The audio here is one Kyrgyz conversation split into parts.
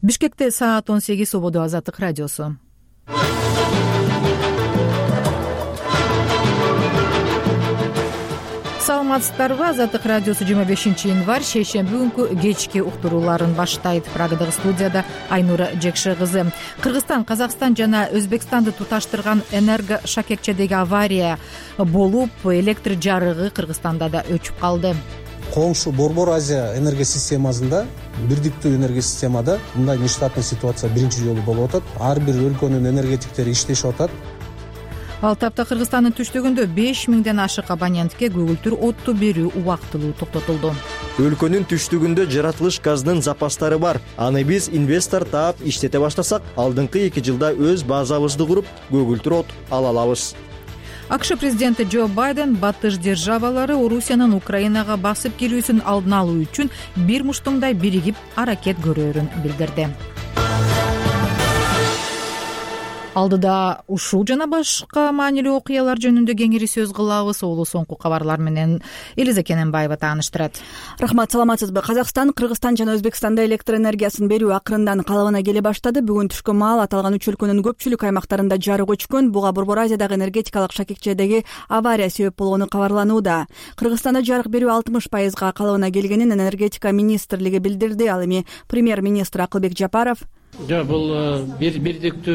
Бишкекте саат 18 Свобода Азаттык радиосу. Саламатсыздарбы? Азаттык радиосу 25 январь шейшемби күнкү кечки уктурууларын баштайт. Прагадагы студияда Айнура Жекше кызы. Кыргызстан, Казакстан жана Өзбекстанды туташтырган энергошакекчедеги авария болуп, электр жарыгы Кыргызстанда да өчүп калды. Коңшу Борбор Азия энергосистемасында, бирдиктүү энергосистемада мындай нештатный ситуация биринчи жолу болуп атат. Ар бир өлкөнүн энергетиктери иштешип атат. Ал тапта Кыргызстандын түштүгүндө 5000ден ашык абонентке көгүлтүр отту берүү убактылуу токтотулду. Өлкөнүн түштүгүндө жаратылыш газынын запастары бар. Аны биз инвестор таап иштете баштасак, алдыңкы 2 жылда өз базабызды куруп, көгүлтүр от ала алабыз. АКШ президенти Джо Байден батыш державалары Орусиянын Украинага басып кирүүсүн алдын алуу үчүн бир муштуңдай биригип аракет көрөөрүн билдирди. Алдыда ушул жана башка маанилүү окуялар жөнүндө кеңири сөз кылабыз. Олу соңку кабарлар менен Элиза Кененбаева тааныштырат. Рахмат, саламатсызбы? Казакстан, Кыргызстан жана Өзбекстанда электр энергиясын берүү акырындан калыбына келе баштады. Бүгүн түшкө маал аталган үч өлкөнүн көпчүлүк аймактарында жарык өчкөн. Буга Борбор Азиядагы энергетикалык шакекчедеги авария себеп болгону кабарланууда. Кыргызстанда жарык берүү 60% калыбына келгенин энергетика министрлиги билдирди. Ал эми премьер-министр Акылбек Жапаров Жок, бул бирдиктүү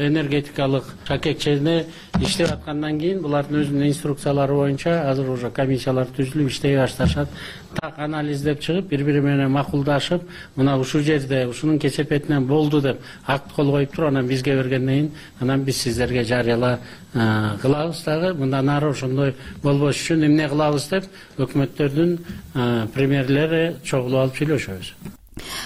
энергетикалык шакекчеде иштеп аткандан кийин булардын өзүнүн инструкциялары боюнча азыр уже комиссиялар түзүлүп иштей башташат. Так анализдеп чыгып, бири-бири менен макулдашып, мына ушул жерде ушунун кесепетинен болду деп акт кол коюп туруп, анан бизге бергенден кийин анан биз сиздерге жарыяла кылабыз дагы. Мындан ары ошондой болбош үчүн эмне кылабыз деп өкмөттөрдүн премьерлери чогулуп алып сүйлөшөбүз.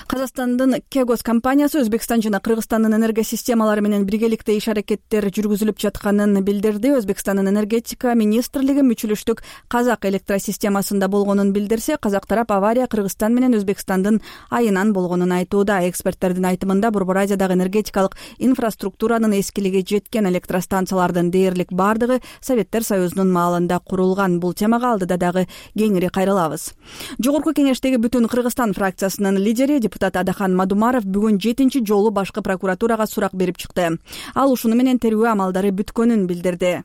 Казакстандын Кегос компаниясы Өзбекстан жана Кыргызстандын энергосистемалары менен биргеликте иш аракеттер жүргүзүлүп жатканын билдирди. Өзбекстандын энергетика министрлиги мүчүлүштүк Казак электросистемасында болгонун билдирсе, казак тарап авария Кыргызстан менен Өзбекстандын айынан болгонун айтууда. Эксперттердин айтымында Борбор Азиядагы энергетикалык инфраструктуранын эскилиги жеткен электростанциялардын дээрлик бардыгы Советтер Союзунун маалында курулган. Бул темага алдыда дагы кеңири кайрылабыз. Жогорку кеңештеги Бүтүн Кыргызстан фракциясынын лидери депутат Адахан Мадумаров бүгүн 7-чи жолу башкы прокуратурага сурак берип чыкты. Ал ушуну менен терүү амалдары бүткөнүн билдирди.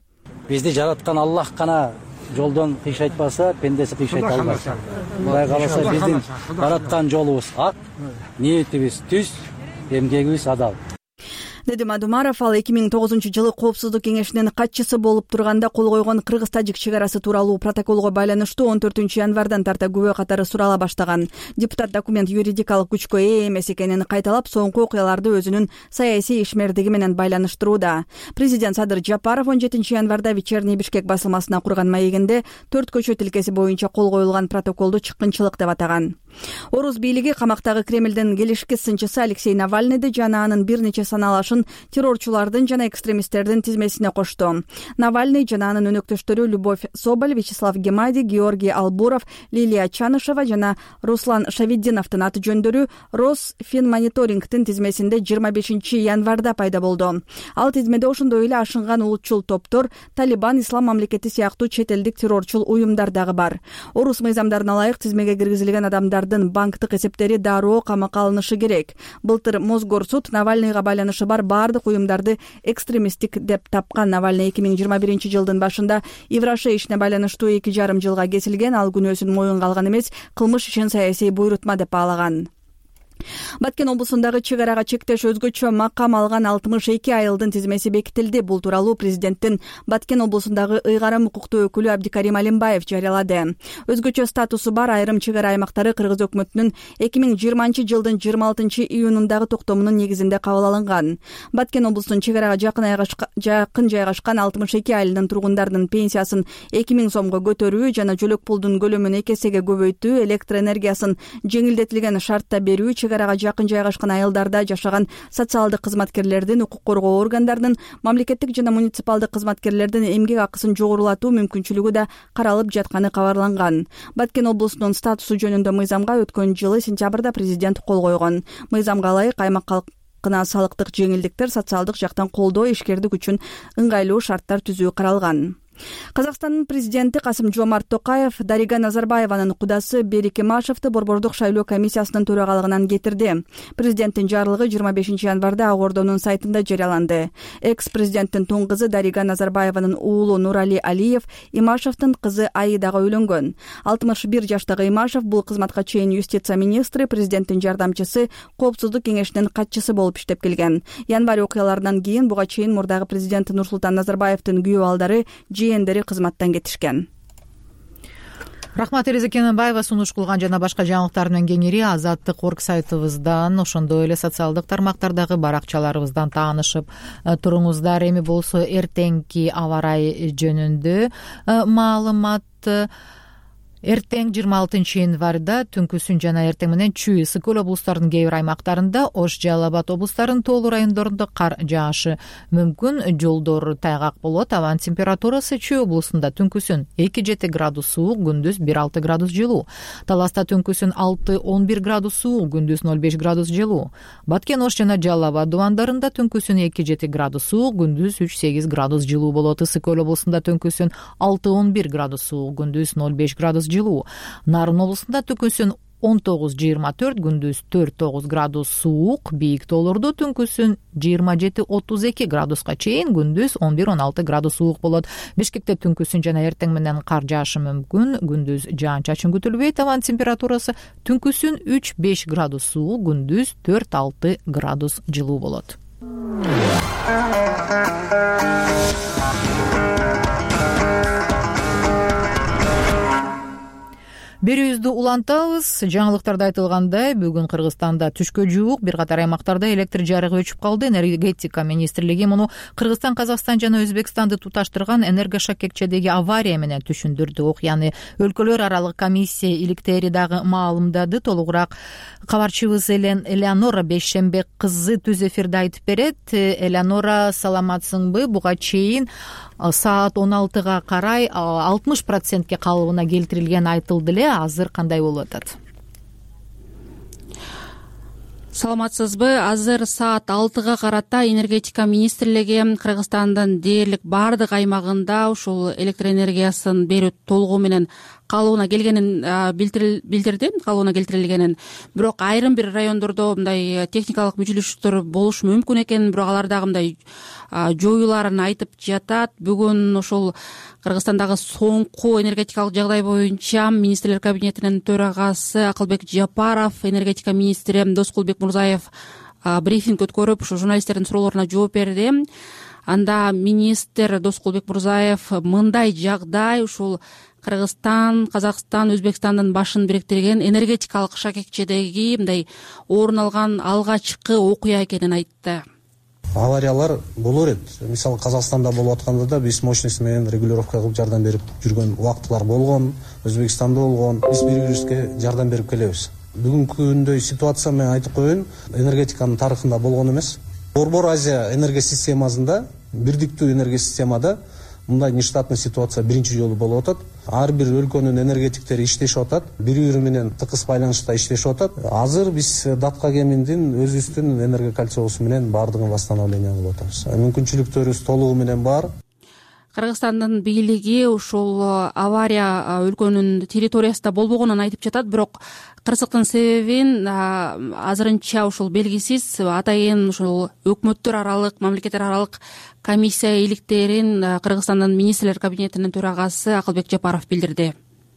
Бизди жараткан Аллах гана жолдон кыйшайтпаса, пендеси кыйшайта албайт. Мындай каласа биздин бараткан жолубуз ак, ниетибиз түз, эмгегибиз адал. Деди Мадумаров. Ал 2009-жылы Коопсуздук кеңешинин катчысы болуп турганда кол койгон кыргыз-тажик чек арасы тууралуу протоколго байланыштуу 14-январдан тарта күбө катары сурала баштаган. Депутат документ юридикалык күчкө ээ эмес экенин кайталап, соңку окуяларды өзүнүн саясий ишмердиги менен байланыштырууда. Президент Садыр Жапаров 17-январда Вечерний Бишкек басылмасына курган маегинде 4 көчө тилкеси боюнча кол коюлган протоколду чыккынчылык деп атаган. Орус бийлиги камактагы Кремлдин келишки сынчысы Алексей Навальныйды жана анын бир нече саналашын террорчулардын жана экстремисттердин тизмесине кошту. Навальный жана анын өнөктөштөрү Любовь Соболь, Вячеслав Гемади, Георгий Албуров, Лилия Чанышева жана Руслан Шавиддиновдун аты жөндөрү Росфинмониторингдин тизмесинде 25-январда пайда болду. Ал тизмеде ошондой эле ашынган улутчул топтор, Талибан, Ислам мамлекети сыяктуу чет элдик террорчул уюмдар дагы бар. Орус мыйзамдарына ылайык тизмеге киргизилген адамдардын банктык эсептери дароо камакка алынышы керек. Былтыр Мосгорсуд Навальныйга байланышы бар бардык уюмдарды экстремисттик деп тапкан. Навальный 2021-жылдын башында Ивраше ишине байланыштуу 2,5 жылга кесилген. Ал күнөөсүн моюнга алган эмес, кылмыш ишин саясий буйрутма деп баалаган. Баткен облусундагы чек арага чектеш өзгөчө макам алган 62 айылдын тизмеси бекитилди. Бул тууралуу президенттин Баткен облусундагы ыйгарым укуктуу өкүлү Абдикарим Алимбаев жарыялады. Өзгөчө статусу бар айрым чек ара аймактары Кыргыз өкмөтүнүн 2020-жылдын 26-июнундагы токтомунун негизинде кабыл алынган. Баткен облусунун чек арага жакын жайгашкан 62 айылдын тургундарынын пенсиясын 2000 сомго көтөрүү жана жөлөк пулдун көлөмүн 2 эсеге көбөйтүү, электр энергиясын жеңилдетилген шартта берүү, чек арага жакын жайгашкан айылдарда жашаган социалдык кызматкерлердин, укук коргоо органдарынын, мамлекеттик жана муниципалдык кызматкерлердин эмгек акысын жогорулатуу мүмкүнчүлүгү да каралып жатканы кабарланган. Баткен облусунун статусу жөнүндө мыйзамга өткөн жылы сентябрда президент кол койгон. Мыйзамга ылайык аймак калкына салыктык жеңилдиктер, социалдык жактан колдоо, ишкердик үчүн ыңгайлуу шарттар түзүү каралган. Казакстандын президенти Касым-Жомарт Токаев Дарига Назарбаеванын кудасы Берик Имашевди Борбордук шайлоо комиссиясынын төрагалыгынан кетирди. Президенттин жарлыгы 25 январда Ак Ордонун сайтында жарыяланды. Экс-президенттин тун кызы Дарига Назарбаеванын уулу Нурали Алиев Имашевдин кызы Аидага үйлөнгөн. 61 жаштагы Имашев бул кызматка чейин юстиция министри, президенттин жардамчысы, коопсуздук кеңешинин катчысы болуп иштеп келген. Январь окуяларынан кийин буга чейин мурдагы президент Нурсултан Назарбаевдин күйөө балдары, жээндери кызматтан кетишкен. Рахмат, Тереза Кененбаева сунуш кылган жана башка жаңылыктар менен кеңири Азаттык.орг сайтыбыздан, ошондой эле социалдык тармактардагы баракчаларыбыздан таанышып туруңуздар. Эми болсо эртеңки аба ырайы жөнүндө маалымат. Эртең 26 январда түнкүсүн жана эртең менен Чүй, Ысык-Көл облустарынын кээ бир аймактарында, Ош, Жалал Абад облустарынын тоолуу райондорунда кар жаашы мүмкүн, жолдор тайгак болот. Абанын температурасы Чүй облусунда түнкүсүн 2-7 градус суук, күндүз 1-6 градус жылуу. Таласта түнкүсүн 6-11 градус суук, күндүз 0-5 градус жылуу. Баткен, Ош жана Жалал Абад дубандарында түнкүсүн 2-7 градус суук, күндүз 3-8 градус жылуу болот. Ысык-Көл облусунда түнкүсүн 6-11 градус суук, күндүз 0-5 градус жылуу. Нарын облусунда түнкүсүн 19-24, күндүз 4-9 градус суук, бийик тоолордо түнкүсүн 27-32 градуска чейин, күндүз 11-16 градус суук болот. Бишкекте түнкүсүн жана эртең менен кар жаашы мүмкүн, күндүз жаан-чачын күтүлбөйт. Абанын температурасы түнкүсүн 3-5 градус суук, күндүз 4-6 градус жылуу болот. Берүүбүздү улантабыз. Жаңылыктарда айтылгандай, бүгүн Кыргызстанда түшкө жуук бир катар аймактарда электр жарыгы өчүп калды. Энергетика министрлиги муну Кыргызстан, Казакстан жана Өзбекстанды туташтырган энергошакекчедеги авария менен түшүндүрдү. Окуяны өлкөлөр аралык комиссия иликтери дагы маалымдады. Толугураак кабарчыбыз Элеонора Бейшембек кызы түз эфирде айтып берет. Элеонора, саламатсыңбы? Буга чейин саат 16-га карай 60%ке калыбына келтирилген айтылды эле. Азыр кандай болуп атат? Саламатсызбы? Азыр саат 6-га карата энергетика министрлиги Кыргызстандын дээрлик баардык аймагында ушул электр энергиясын берүү толугу менен калыбына келгенин билдирди, калыбына келтирилгенин. Бирок айрым бир райондордо мындай техникалык мүчүлүштөр болушу мүмкүн экенин, бирок алар дагы мындай жоюларын айтып жатат. Бүгүн ошол Кыргызстандагы соңку энергетикалык жагдай боюнча министрлер кабинетинин төрагасы Акылбек Жапаров, энергетика министри Доскулбек Мурзаев брифинг өткөрүп, ошо журналисттердин суроолоруна жооп берди. Анда министр Доскулбек Мурзаев мындай жагдай ушул Кыргызстан, Казакстан, Өзбекстандын башын бириктирген энергетикалык шакекчедеги мындай орун алган алгачкы окуя экенин айтты. Авариялар болор эт. Мисалы Казакстанда болуп атканда да биз мощность менен регулировка кылып жардам берип жүргөн убактылар болгон, Өзбекстанда болгон. Биз бири-бирибизге жардам берип келебиз. Бүгүнкү күндөй ситуация мен айтып коеюн, энергетиканын тарыхында болгон эмес. Борбор Азия энергосистемасында, бирдиктүү энергосистемада мындай нештатный ситуация биринчи жолу болуп атат. Ар бир өлкөнүн энергетиктери иштешип атат, бири-бири менен тыкыз байланышта иштешип атат. Азыр биз Датка кеминдин өзүбүздүн энергокольцобуз менен баардыгын восстановление кылып атабыз. Мүмкүнчүлүктөрүбүз толугу менен бар. Кыргызстандын бийлиги ушул авария өлкөнүн территориясында болбогонун айтып жатат, бирок кырсыктын себебин азырынча ушул белгисиз. Атайын ушул өкмөттөр аралык, мамлекеттер аралык комиссия иликтерин Кыргызстандын министрлер кабинетинин төрагасы Акылбек Жапаров билдирди.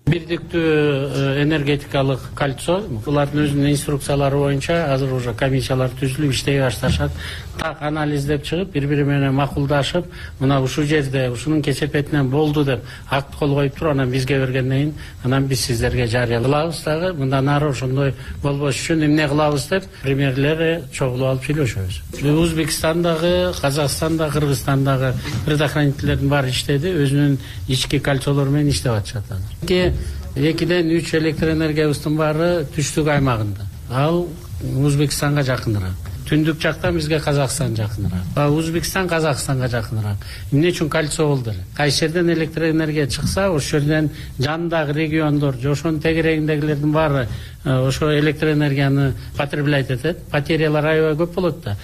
Бирдиктүү энергетикалык кольцо, булардын өзүнүн инструкциялары боюнча азыр уже комиссиялар түзүлүп иштей башташат. Так анализдеп чыгып, бири-бири менен макулдашып, мына ушул жерде ушунун кесепетинен болду деп акт кол коюп туруп, анан бизге бергенден кийин, анан биз сиздерге жарыялабыз дагы. Мындан ары ошондой болбош үчүн эмне кылабыз деп премьерлер чогулуп алып сүйлөшөбүз. Өзбекстандагы, Казакстандагы, Кыргызстандагы предохранительдердин баары иштеди, өзүнүн ички кольцолору менен иштеп атышат азыр. 2-ден 3 электр энергиябыздын баары түштүк аймагында. Ал Өзбекстанга жакыныраак. түндүк жактан бизге Казакстан жакыныраак, Өзбекстан Казакстанга жакыныраак. Эмне үчүн кольцо болду эле? Кайсы жерден электроэнергия чыкса, ошол жерден жанындагы региондор же ошонун тегерегиндегилердин баары ошо электроэнергияны потребляйт этет. Потерялар аябай көп болот да.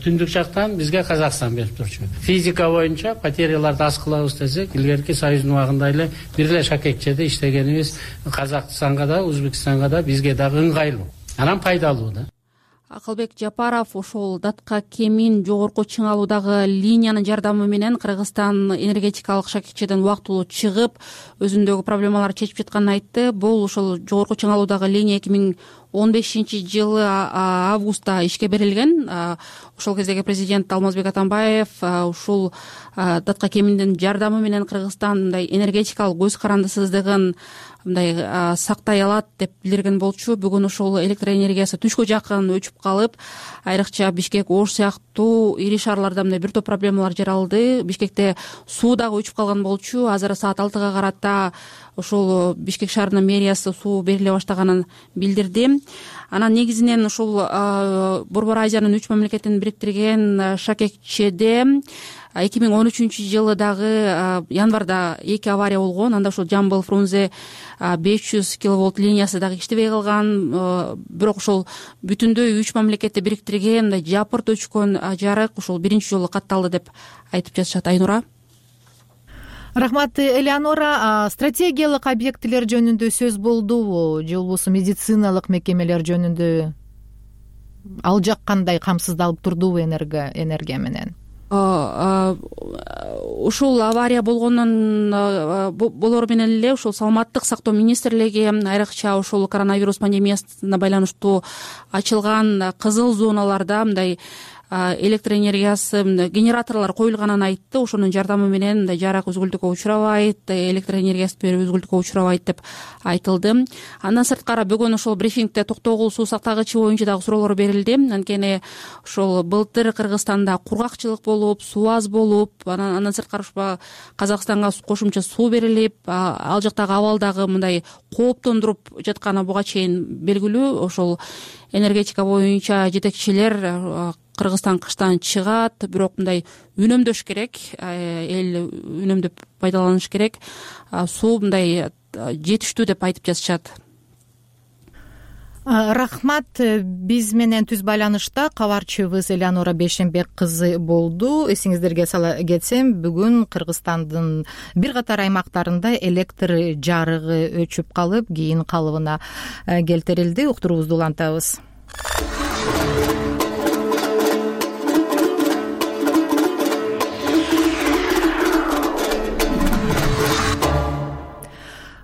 Түндүк жактан бизге Казакстан берип турчу. Физика боюнча потеряларды аз кылабыз десек, илгерки Союздун убагында эле бир эле шакекчеде иштегенибиз Казакстанга да, Өзбекстанга да, бизге дагы ыңгайлуу. Анан пайдалуу да. Акылбек Жапаров ошол датка кемин жогорку чыңалуудагы линиянын жардамы менен Кыргызстан энергетикалык шакекчеден убактылуу чыгып, өзүндөгү проблемаларды чечип жатканын айтты. Бул ошол жогорку чыңалуудагы линия 2015-жылы августта ишке берилген. Ошол кездеги президент Алмазбек Атамбаев ушул датка кеминдин жардамы менен Кыргызстан мындай энергетикалык көз карандысыздыгын мындай сактай алат деп билдирген болчу. Бүгүн ошол электроэнергиясы түшкө жакын өчүп калып, айрыкча Бишкек, Ош сыяктуу ири шаарларда мындай бир топ проблемалар жаралды. Бишкекте суу дагы өчүп калган болчу. Азыр саат 6-га карата ошол Бишкек шаарынын мэриясы суу бериле баштаганын билдирди. Анан негизинен ушул Борбор Азиянын 3 мамлекетин бириктирген шакекчеде 2013-жылы дагы январда 2 авария болгон. Анда ошол Жамбыл Фрунзе 500 киловольт линиясы дагы иштебей калган. Бирок ошол бүтүндөй 3 мамлекетти бириктирген жапырт өчкөн жарык ушул биринчи жолу катталды деп айтып жатышат. Айнура. Рахмат, Элеонора. Стратегиялык объектилер жөнүндө сөз болдубу же болбосо медициналык мекемелер жөнүндө? Ал жак кандай камсыздалып турдубу энергия менен? Ушул авария болгондон болору менен эле ушул саламаттык сактоо министрлиги айрыкча ушул коронавирус пандемиясына байланыштуу ачылган кызыл зоналарда мындай электроэнергиясы генераторлор коюлганын айтты. Ошонун жардамы менен мындай жарык үзгүлтүккө учурабайт, электроэнергиясы берүү үзгүлтүккө учурабайт деп айтылды. Андан сырткары бүгүн ошол брифингде токтогул суу сактагычы боюнча дагы суроолор берилди. Анткени ошол былтыр Кыргызстанда кургакчылык болуп, суу аз болуп, андан сырткары Казакстанга кошумча суу берилип, ал жактагы абал дагы мындай кооптондуруп жатканы буга чейин белгилүү. Ошол энергетика боюнча жетекчилер Кыргызстан кыштан чыгат, бирок мындай үнөмдөш керек, эл үнөмдөп пайдаланыш керек. Суу мындай жетиштүү деп айтып жатышат. Рахмат. Биз менен түз байланышта кабарчыбыз Элеонора Бейшембек кызы болду. Эсиңиздерге сала кетсем, бүгүн Кыргызстандын бир катар аймактарында электр жарыгы өчүп калып, кийин калыбына келтирилди. Уктуруубузду улантабыз.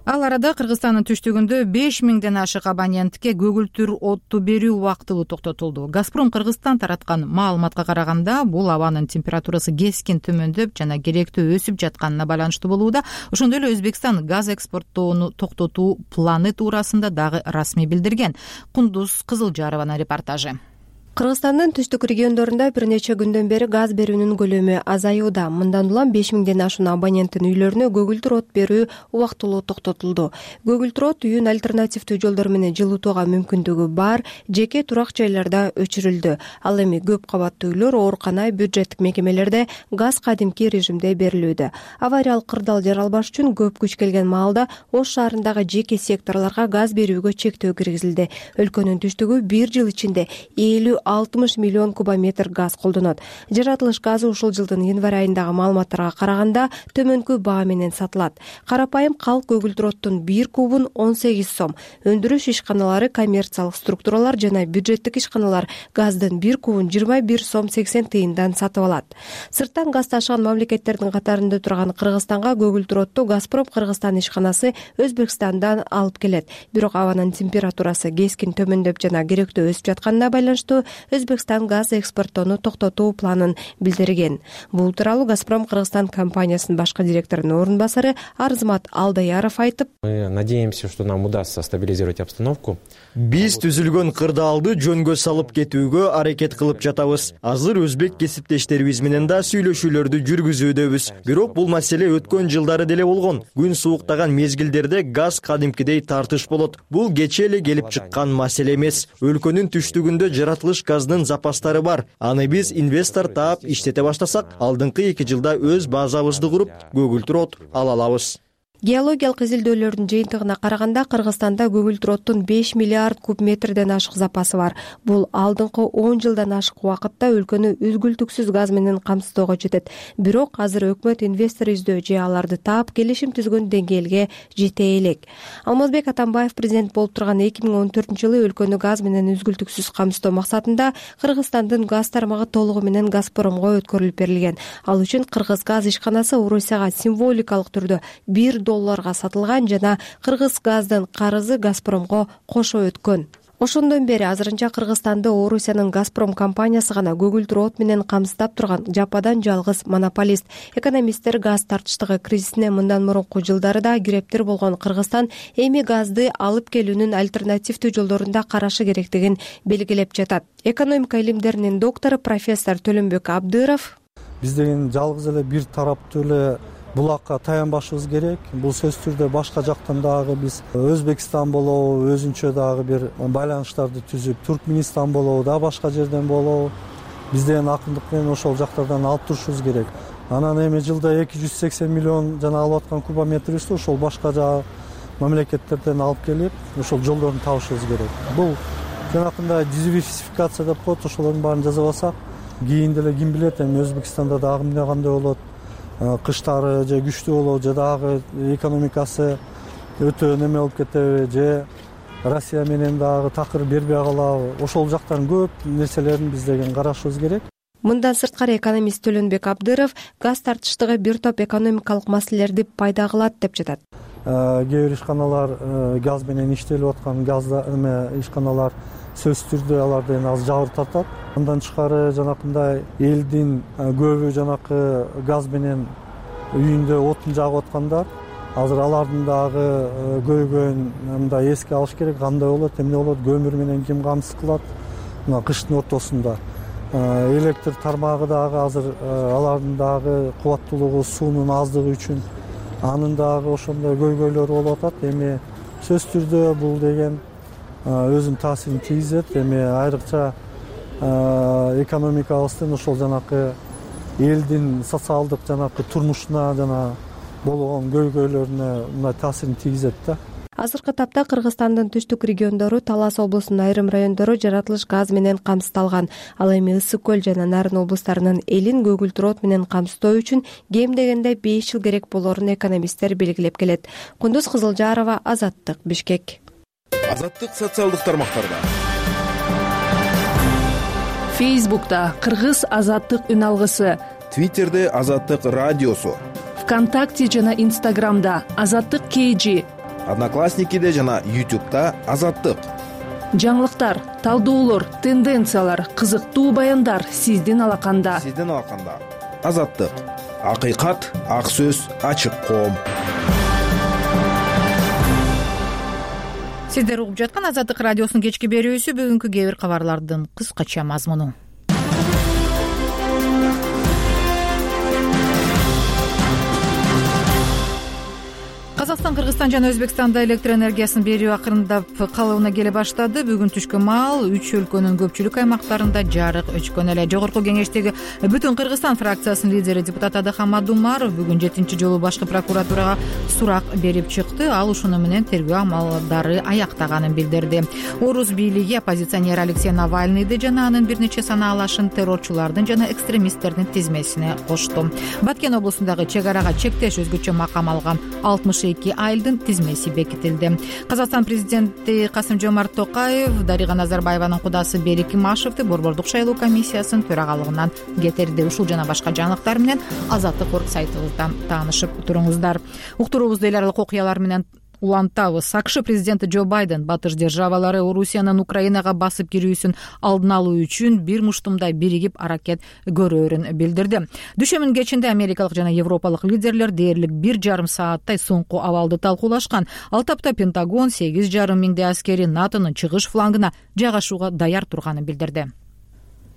Ал арада Кыргызстандын түштүгүндө 5000ден ашык абонентке көгүлтүр отту берүү убактылуу токтотулду. Газпром Кыргызстан тараткан маалыматка караганда, бул абанын температурасы кескин төмөндөп жана керектөө өсүп жатканына байланыштуу болууда. Ошондой эле Өзбекстан газ экспорттоону токтотуу планы туурасында дагы расмий билдирген. Кундуз Кызылжарованын репортажы. Кыргызстандын түштүк региондорунда бир нече күндөн бери газ берүүнүн көлөмү азаюуда. Мындан улам 5000ден ашуун абоненттин үйлөрүнө көгүлтүр от берүү убактылуу токтотулду. Көгүлтүр от үйүн альтернативдүү жолдор менен жылытууга мүмкүндүгү бар жеке турак жайларда өчүрүлдү. Ал эми көп кабаттуу үйлөр, оорукана, бюджеттик мекемелерде газ кадимки режимде берилүүдө. Авариялык кырдаал жаралбаш үчүн көп күч келген маалда Ош шаарындагы жеке секторлорго газ берүүгө чектөө киргизилди. Өлкөнүн түштүгү бир жыл ичинде 60 миллион кубометр газ колдонот. Жаратылыш газы ушул жылдын январь айындагы маалыматтарга караганда төмөнкү баа менен сатылат. Карапайым калк көгүлтүр оттун 1 кубун 18 сом, өндүрүш ишканалары, коммерциялык структуралар жана бюджеттик ишканалар газдын 1 кубун 21 сом 80 тыйындан сатып алат. Сырттан газ ташыган мамлекеттердин катарында турган Кыргызстанга көгүлтүр отту Газпром Кыргызстан ишканасы Өзбекстандан алып келет. Бирок абанын температурасы кескин төмөндөп жана керектөө өсүп жатканына байланыштуу Өзбекстан газ экспорттоону токтотуу планын билдирген. Бул тууралуу Газпром Кыргызстан компаниясынын башкы директорунун орун басары Арзымат Алдаяров айтып, мы надеемся, что нам удастся стабилизировать обстановку. Биз түзүлгөн кырдаалды жөнгө салып кетүүгө аракет кылып жатабыз. Азыр өзбек кесиптештерибиз менен да сүйлөшүүлөрдү жүргүзүүдөбүз. Бирок бул маселе өткөн жылдары деле болгон. Күн сууктаган мезгилдерде газ кадимкидей тартыш болот. Бул кечээ эле келип чыккан маселе эмес. Өлкөнүн түштүгүндө жаратылыш газдын запастары бар. Аны биз инвестор таап иштете баштасак, алдыңкы 2 жылда өз базабызды куруп, көгүлтүр от ала алабыз. Геологиялык изилдөөлөрдүн жыйынтыгына караганда Кыргызстанда көгүлтүр оттун 5 миллиард куб метрден ашык запасы бар. Бул алдыңкы 10 жылдан ашык убакытта өлкөнү үзгүлтүксүз газ менен камсыздоого жетет. Бирок азыр өкмөт инвестор издөө же аларды таап келишим түзгөн деңгээлге жете элек. Алмазбек Атамбаев президент болуп турган 2014-жылы өлкөнү газ менен үзгүлтүксүз камсыздоо максатында Кыргызстандын газ тармагы толугу менен Газпромго өткөрүлүп берилген. Ал үчүн Кыргыз газ ишканасы Орусияга символикалык түрдө $1 сатылган жана Кыргыз газдын карызы Газпромго кошо өткөн. Ошондон бери азырынча Кыргызстанды Орусиянын Газпром компаниясы гана көгүлтүр от менен камсыздап турган жападан жалгыз монополист. Экономисттер газ тартыштыгы кризисине мындан мурунку жылдары да кирептир болгон Кыргызстан эми газды алып келүүнүн альтернативдүү жолдорунда карашы керектигин белгилеп жатат. Экономика илимдеринин доктору профессор Төлөнбек Абдыров: Биз деген жалгыз эле бир тараптуу эле булакка таянбашыбыз керек. Бул сөзсүз түрдө башка жактан дагы биз Өзбекстан болобу, өзүнчө дагы бир байланыштарды түзүп, Туркменистан болобу, да башка жерден болобу, биз деген акындык менен ошол жактардан алып турушубуз керек. Анан эми жылда 280 миллион жана алып аткан кубометрибизди ошол башка жагы мамлекеттерден алып келип, ошол жолдорун табышыбыз керек. Бул жанакындай диверсификация деп коет, ошолордун баарын жасап алсак, кийин деле ким билет, эми Өзбекстанда дагы эмне кандай болот, кыштары же күчтүү болобу, же дагы экономикасы өтө неме болуп кетеби, же Россия менен дагы такыр бербей калабы, ошол жактан көп нерселерин биз деген карашыбыз керек. Мындан сырткары экономист Төлөнбек Абдыров газ тартыштыгы бир топ экономикалык маселелерди пайда кылат деп жатат. Кээ бир ишканалар газ менен иштелип аткан газда ишканалар сөзсүз түрдө аларды эми аз жабыр тартат. Андан тышкары жанакындай элдин көбү жанакы газ менен үйүндө отун жагып аткандар, азыр алардын дагы көйгөйүн мындай эске алыш керек. Кандай болот, эмне болот, көмүр менен ким камсыз кылат мына кыштын ортосунда. Электр тармагы дагы азыр алардын дагы кубаттуулугу, суунун аздыгы үчүн анын дагы ошондой көйгөйлөрү болуп атат. Эми сөзсүз түрдө бул деген өзүнүн таасирин тийгизет. Эми айрыкча экономикабыздын ошол жанакы элдин социалдык жанакы турмушуна жана болгон көйгөйлөрүнө мындай таасирин тийгизет да. Азыркы тапта Кыргызстандын түштүк региондору, Талас облусунун айрым райондору жаратылыш газ менен камсыздалган. Ал эми Ысык көл жана Нарын облустарынын элин көгүлтүр от менен камсыздоо үчүн кем дегенде 5 жыл керек болорун экономисттер белгилеп келет. Кундуз Кызылжарова, Азаттык, Бишкек. Азаттык социалдык тармактарда. Фейсбукта Кыргыз Азаттык үн алгысы, Твиттерде Азаттык радиосу, ВКонтакте жана Инстаграмда Азаттык KG, Одноклассникиде жана YouTube'да Азаттык. Жаңылыктар, талдоолор, тенденциялар, кызыктуу баяндар сиздин алаканда. Азаттык. Акыйкат, ак сөз, ачык коом. Сиздер угуп жаткан Азаттык радиосунун кечки берүүсү. Бүгүнкү кээ бир кабарлардын кыскача мазмуну. Казакстан, Кыргызстан жана Өзбекстанда электр энергиясын берүү акырындап калыбына келе баштады. Бүгүн түшкү маал 3 өлкөнүн көпчүлүк аймактарында жарык өчкөн эле. Жогорку кеңештеги Бүтүн Кыргызстан фракциясынын лидери депутат Адыхан Мадумаров бүгүн 7-чи жолу башкы прокуратурага сурак берип чыкты. Ал ушуну менен тергөө амалдары аяктаганын билдирди. Орус бийлиги оппозиционер Алексей Навальныйды жана анын бир нече санаалашын террорчулардын жана экстремисттердин тизмесине кошту. Баткен облусундагы чек арага чектеш өзгөчө макам алган 62 айылдын тизмеси бекитилди. Казакстан президенти Касым-Жомарт Токаев Дарига Назарбаеванын кудасы Берик Имашевди борбордук шайлоо комиссиясынын төрагалыгынан кетирди. Ушул жана башка жаңылыктар менен Азаттык орг сайтыбыздан таанышып туруңуздар. Уктуруубузду эл аралык окуялар менен улантабыз. АКШ президенти Джо Байден батыш державалары Орусиянын Украинага басып кирүүсүн алдын алуу үчүн бир муштумдай биригип аракет көрөөрүн билдирди. Дүшөмүн кечинде америкалык жана европалык лидерлер дээрлик 1,5 сааттай соңку абалды талкуулашкан. Ал тапта Пентагон 8,5 миңдей аскери НАТОнун чыгыш флангына жайгашууга даяр турганын билдирди.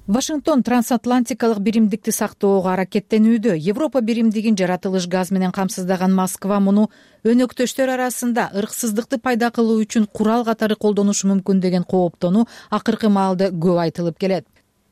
Вашингтон трансатлантикалык биримдикти сактоого аракеттенүүдө. Европа биримдигин жаратылыш газ менен камсыздаган Москва муну өнөктөштөр арасында ырксыздыкты пайда кылуу үчүн курал катары колдонушу мүмкүн деген кооптонуу акыркы маалда көп айтылып келет.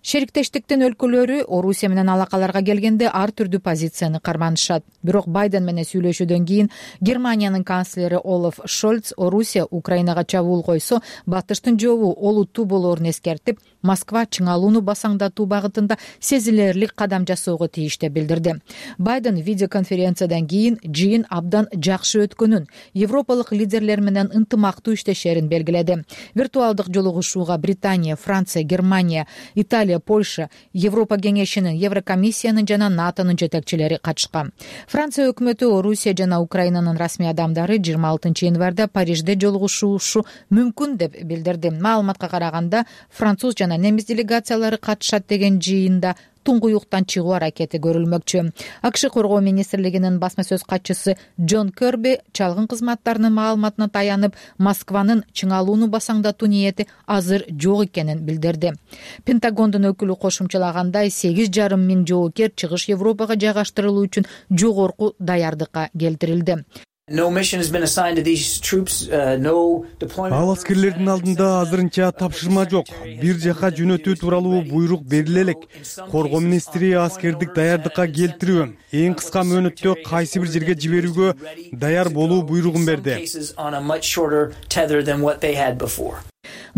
Шериктештиктин өлкөлөрү Орусия менен алакаларга келгенде ар түрдүү позицияны карманышат. Бирок Байден менен сүйлөшүүдөн кийин Германиянын канцлери Олаф Шольц Орусия Украинага чабуул койсо, батыштын жообу олуттуу болоорун эскертип, Москва чыңалууну басаңдатуу багытында сезилерлик кадам жасоого тийиш деп билдирди. Байден видеоконференциядан кийин жыйын абдан жакшы өткөнүн, европалык лидерлер менен ынтымактуу иштешерин белгиледи. Виртуалдык жолугушууга Британия, Франция, Германия, Италия, Польша, Европа кеңешинин, Еврокомиссиянын жана НАТОнун жетекчилери катышкан. Франция өкмөтү Орусия жана Украинанын расмий адамдары 26 январда Парижде жолугушушу мүмкүн деп билдирди. Маалыматка караганда, француз жана немис делегациялары катышат деген жыйында туңгуюктан чыгуу аракети көрүлмөкчү. АКШ коргоо министрлигинин басма сөз катчысы Джон Керби чалгын кызматтарынын маалыматына таянып, Москванын чыңалууну басаңдатуу ниети азыр жок экенин билдирди. Пентагондун өкүлү кошумчалагандай, 8,5 миң жоокер чыгыш Европага жайгаштырылуу үчүн жогорку даярдыкка келтирилди. Ал аскерлердин алдында азырынча тапшырма жок. Бир жака жөнөтүү тууралуу буйрук бериле элек. Коргоо министри аскердик даярдыкка келтирүү, эң кыска мөөнөттө кайсы бир жерге жиберүүгө даяр болуу буйругун берди.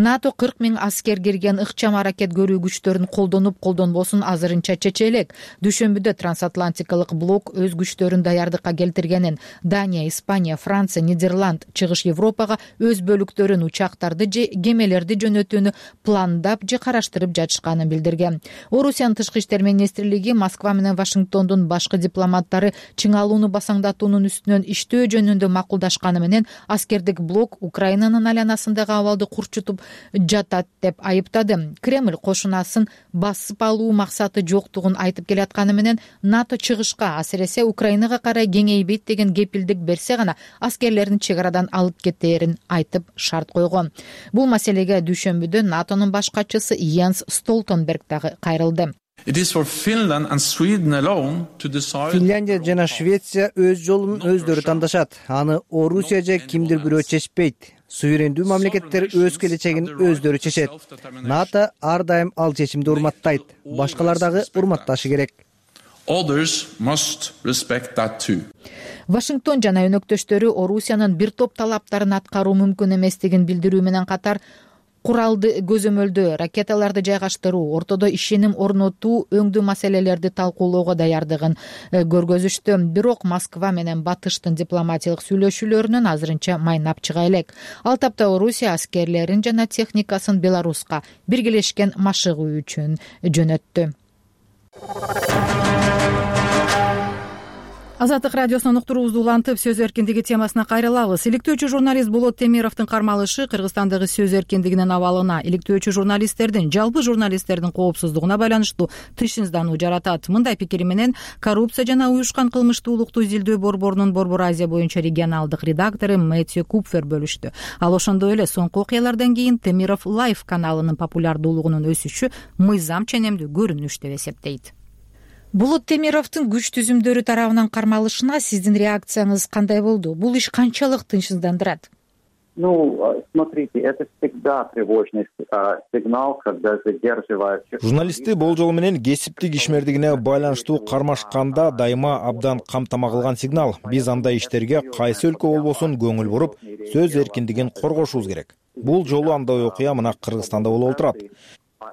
НАТО 40 миң аскер кирген ыкчам аракет көрүү күчтөрүн колдонуп-колдонбосун азырынча чече элек. Дүйшөмбүдө трансатлантикалык блок өз күчтөрүн даярдыкка келтиргенин, Дания, Испания, Франция, Нидерланд чыгыш Европага өз бөлүктөрүн, учактарды же кемелерди жөнөтүүнү пландап же караштырып жатышканын билдирген. Орусиянын тышкы иштер министрлиги Москва менен Вашингтондун башкы дипломаттары чыңалууну басаңдатуунун үстүнөн иштөө жөнүндө макулдашканы менен аскердик блок Украинанын айланасындагы абалды курчутуп жатат деп айыптады. Кремль кошунасын басып алуу максаты жоктугун айтып келатканы менен НАТО чыгышка, асыресе Украинага карай кеңейбейт деген кепилдик берсе гана аскерлерин чек арадан алып кетээрин айтып шарт койгон. Бул маселеге дүйшөмбүдө НАТОнун баш катчысы Йенс Столтенберг дагы кайрылды. Финляндия жана Швеция өз жолун өздөрү тандашат. Аны Орусия же кимдир бирөө чечпейт. Суверендүү мамлекеттер өз келечегин өздөрү чечет. НАТО ар дайым ал чечимди урматтайт. Башкалар дагы урматташы керек. Вашингтон жана өнөктөштөрү Орусиянын бир топ талаптарын аткаруу мүмкүн эместигин билдирүү менен катар, куралды көзөмөлдөө, ракеталарды жайгаштыруу, ортодо ишеним орнотуу өңдүү маселелерди талкуулоого даярдыгын көргөзүштү. Бирок Москва менен Батыштын дипломатиялык сүйлөшүүлөрүнөн азырынча майнап чыга элек. Ал тапта Орусия аскерлерин жана техникасын Беларуска биргелешкен машыгуу үчүн жөнөттү. Азаттык радиосунун уктуруубузду улантып, сөз эркиндиги темасына кайрылабыз. Иликтөөчү журналист Болот Темировдун кармалышы Кыргызстандагы сөз эркиндигинин абалына, иликтөөчү журналисттердин, жалпы журналисттердин коопсуздугуна байланыштуу тынчсыздануу жаратат. Мындай пикири менен коррупция жана уюшкан кылмыштуулукту изилдөө борборунун Борбор Азия боюнча регионалдык редактору Мэтью Купфер бөлүштү. Ал ошондой эле соңку окуялардан кийин Темиров Лайф каналынын популярдуулугунун өсүшү мыйзам ченемдүү көрүнүш деп эсептейт. Болот Темировдун күч түзүмдөрү тарабынан кармалышына сиздин реакцияңыз кандай болду? Бул иш канчалык тынчсыздандырат? Смотрите, это всегда тревожный сигнал, когда задерживают. Журналисти болжол менен кесиптик ишмердигине байланыштуу кармашканда дайыма абдан камтама кылган сигнал. Биз андай иштерге кайсы өлкө болбосун көңүл буруп, сөз эркиндигин коргошубуз керек. Бул жолу андай окуя мына Кыргызстанда болуп турат.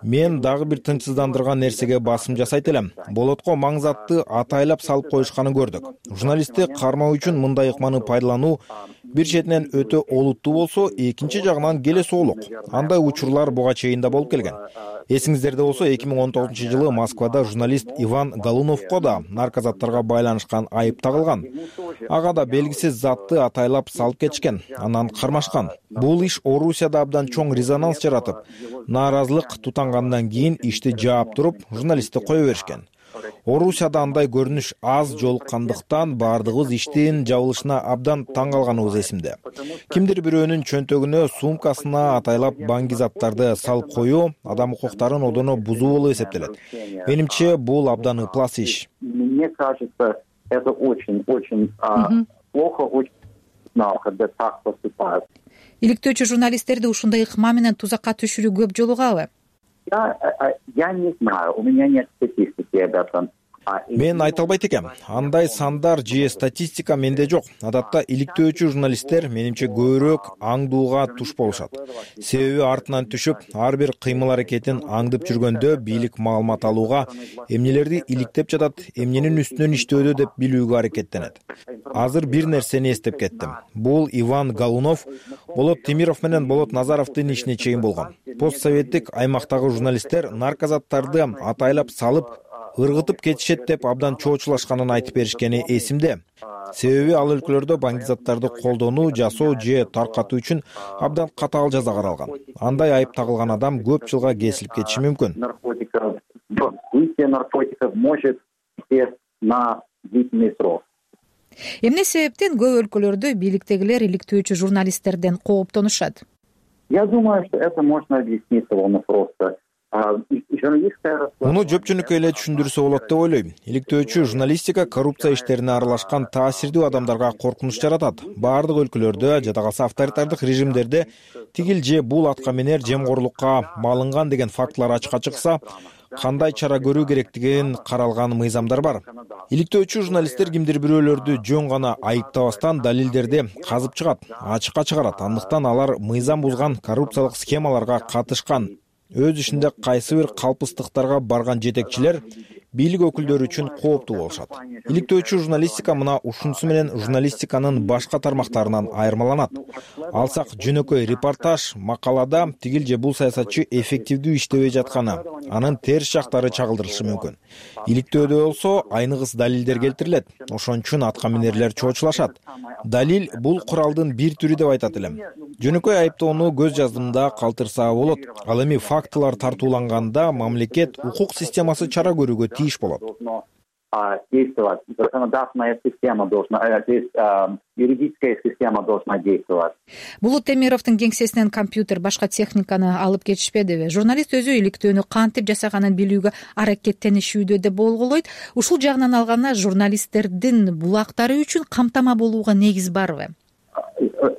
Мен дагы бир тынчсыздандырган нерсеге басым жасайт элем. Болотко маңзатты атайлап салып коюшканын көрдүк. Журналистти кармоо үчүн мындай ыкманы пайдалануу бир четинен өтө олуттуу болсо, экинчи жагынан келе соолук. Андай учурлар буга чейин да болуп келген. Эсиңиздерде болсо 2019-жылы Москвада журналист Иван Голуновко да наркозаттарга байланышкан айып тагылган. Ага да белгисиз затты атайлап салып кетишкен, анан кармашкан. Бул иш Орусияда абдан чоң резонанс жаратып, нааразылык тутангандан кийин ишти жаап туруп, журналистти кое беришкен. Орусияда андай көрүнүш аз жолуккандыктан баардыгыбыз иштин жабылышына абдан таң калганыбыз эсимде. Кимдир бирөөнүн чөнтөгүнө, сумкасына атайлап баңги заттарды салып коюу адам укуктарын одоно бузуу болуп эсептелет. Менимче, бул абдан ыплас иш. Мне кажется, это очень плохо, очень знал, когда так поступают. Иликтөөчү журналисттерди ушундай ыкма менен тузакка түшүрүү көп жолугабы? Я не знаю, у меня нет статистики об этом. Мен айта албайт экем. Андай сандар же статистика менде жок. Адатта иликтөөчү журналисттер менимче көбүрөөк аңдууга туш болушат. Себеби артынан түшүп, ар бир кыймыл аракетин аңдып жүргөндө бийлик маалымат алууга, эмнелерди иликтеп жатат, эмненин үстүнөн иштөөдө деп билүүгө аракеттенет. Азыр бир нерсени эстеп кеттим. Бул Иван Галунов, Болот Темиров менен Болот Назаровдун ишине чейин болгон. Постсоветтик аймактагы журналисттер наркозаттарды атайлап салып, ыргытып кетишет деп абдан чоочулашканын айтып беришкени эсимде. Себеби ал өлкөлөрдө баңгизаттарды колдонуу, жасоо же таркатуу үчүн абдан катаал жаза каралган. Андай айып тагылган адам көп жылга кесилип кетиши мүмкүн. Наркотиков может на длительный срок. Эмне себептен көп өлкөлөрдө бийликтегилер иликтөөчү журналисттерден кооптонушат? Я думаю, что это можно объяснить довольно просто. Муну жөп-жөнөкөй эле түшүндүрсө болот деп ойлойм. Иликтөөчү журналистика коррупция иштерине аралашкан таасирдүү адамдарга коркунуч жаратат. Баардык өлкөлөрдө, жада калса авторитардык режимдерде тигил же бул атка минер жемкорлукка малынган деген фактылар ачыкка чыкса, кандай чара көрүү керектигин каралган мыйзамдар бар. Иликтөөчү журналисттер кимдир бирөөлөрдү жөн гана айыптабастан далилдерди казып чыгат, ачыкка чыгарат. Андыктан алар мыйзам бузган коррупциялык схемаларга катышкан. Өз ишинде кайсы бир калпыстыктарга барган жетекчилер бийлик өкүлдөрү үчүн кооптуу болушат. Иликтөөчү журналистика мына ушунусу менен журналистиканын башка тармактарынан айырмаланат. Алсак жөнөкөй репортаж, макалада тигил же бул саясатчы эффективдүү иштебей жатканы, анын терс жактары чагылдырылышы мүмкүн. Иликтөөдө болсо айныгыс далилдер келтирилет. Ошон үчүн атка минерлер чоочулашат. Далил бул куралдын бир түрү деп айтат элем. Жөнөкөй айыптоону көз жаздымда калтырса болот. Ал эми фактылар тартууланганда мамлекет укук системасы чара көрүүгө тийиш болот. Действовать. Законодательная система должна, юридическая система должна действовать. Болот Темировдун кеңсесинен компьютер, башка техниканы алып кетишпедиби? Журналист өзү иликтөөнү кантип жасаганын билүүгө аракеттенишүүдө деп болгойлойт. Ушул жагынан алганда журналисттердин булактары үчүн камтама болууга негиз барбы?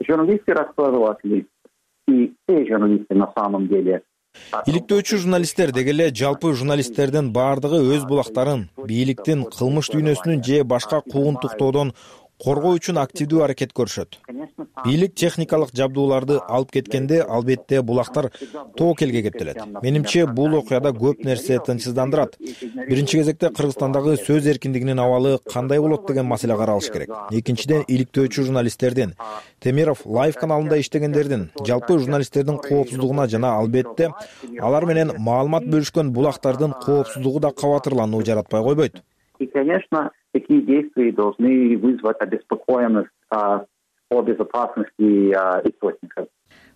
Журналисты раскладыватели и все журналисты на самом деле. Иликтөөчү журналисттер деги эле жалпы журналисттердин баардыгы өз булактарын бийликтин кылмыш дүйнөсүнүн же башка куугунтуктоодон коргоо үчүн активдүү аракет көрүшөт. Бийлик техникалык жабдууларды алып кеткенде албетте булактар тоокелге кептелет. Менимче бул окуяда көп нерсе тынчсыздандырат. Биринчи кезекте Кыргызстандагы сөз эркиндигинин абалы кандай болот деген маселе каралыш керек. Экинчиден, иликтөөчү журналисттердин, Темиров Лайв каналында иштегендердин, жалпы журналисттердин коопсуздугуна жана албетте алар менен маалымат бөлүшкөн булактардын коопсуздугу да кабатырлануу жаратпай койбойт. И, конечно, такие действия должны вызвать обеспокоенность по безопасности источников.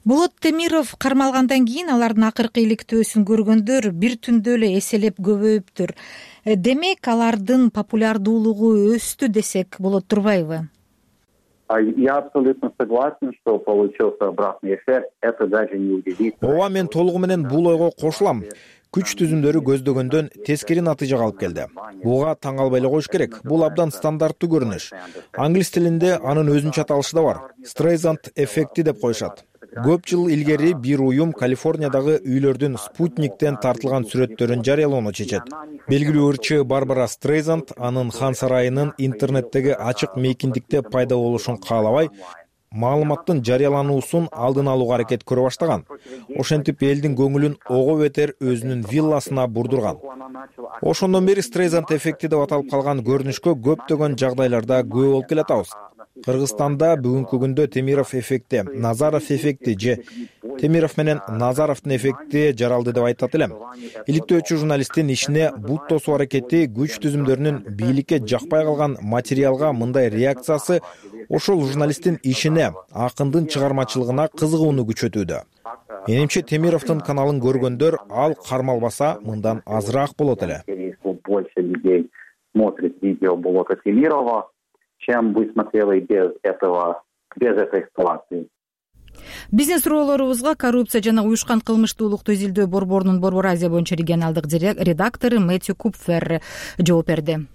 Болот Темиров кармалгандан кийин алардын акыркы иликтөөсүн көргөндөр бир түндө эле эселеп көбөйүптүр. Демек, алардын популярдуулугу өстү десек болот турбайбы? Я абсолютно согласен, что получился обратный эффект. Это даже не удивительно. Ооба, мен толугу менен бул ойго кошулам. Күч түзүмдөрү көздөгөндөн тескери натыйжага алып келди. Буга таң калбай эле коюш керек. Бул абдан стандарттуу көрүнүш. Англис тилинде анын өзүнчө аталышы да бар. Streisand эффекти деп коюшат. Көп жыл илгери бир уюм Калифорниядагы үйлөрдүн спутниктен тартылган сүрөттөрүн жарыялоону чечет. Белгилүү ырчы Барбара Стрейзанд анын хан сарайынын интернеттеги ачык мейкиндикте пайда болушун каалабай, маалыматтын жарыялануусун алдын алууга аракет көрө баштаган. Ошентип элдин көңүлүн ого бетер өзүнүн вилласына бурдурган. Ошондон бери Стрейзанд эффекти деп аталып калган көрүнүшкө көптөгөн жагдайларда күбө болуп келатабыз. Кыргызстанда бүгүнкү күндө Темиров эффекти, Назаров эффекти же Темиров менен Назаровдун эффекти жаралды деп айтат элем. Иликтөөчү журналисттин ишине бут тосуу аракети, күч түзүмдөрүнүн бийликке жакпай калган материалга мындай реакциясы ошол журналисттин ишине, акындын чыгармачылыгына кызыгууну күчөтүүдө. Менимче Темировдун каналын көргөндөр ал кармалбаса мындан азыраак болот эле. больше людей смотрит видео блока Кемирова, чем бы смотрели без этой эскалации. Биздин суроолорубузга коррупция жана уюшкан кылмыштуулукту изилдөө борборунун Борбор Азия боюнча регионалдык редактору Мэтью Купфер жооп берди.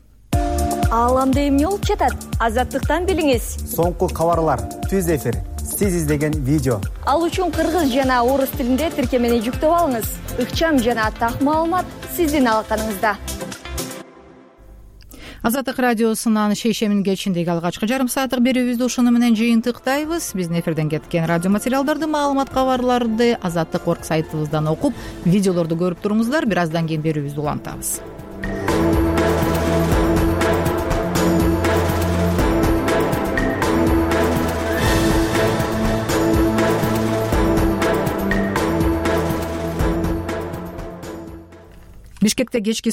Ааламда эмне болуп жатат? Азаттыктан билиңиз. Соңку кабарлар, түз эфир, сиз издеген видео. Ал үчүн кыргыз жана орус тилинде тиркемени жүктөп алыңыз. Ыкчам жана так маалымат сиздин алаканыңызда. Азаттык радиосунан шейшемин кечиндеги алгачкы жарым сааттык берүүбүздү ушуну менен жыйынтыктайбыз. Биздин эфирден кеткен радио материалдарды, маалымат, кабарларды Азаттык.org сайтыбыздан окуп, видеолорду көрүп туруңуздар. Бир аздан кийин берүүбүздү улантабыз. Бишкекте кечки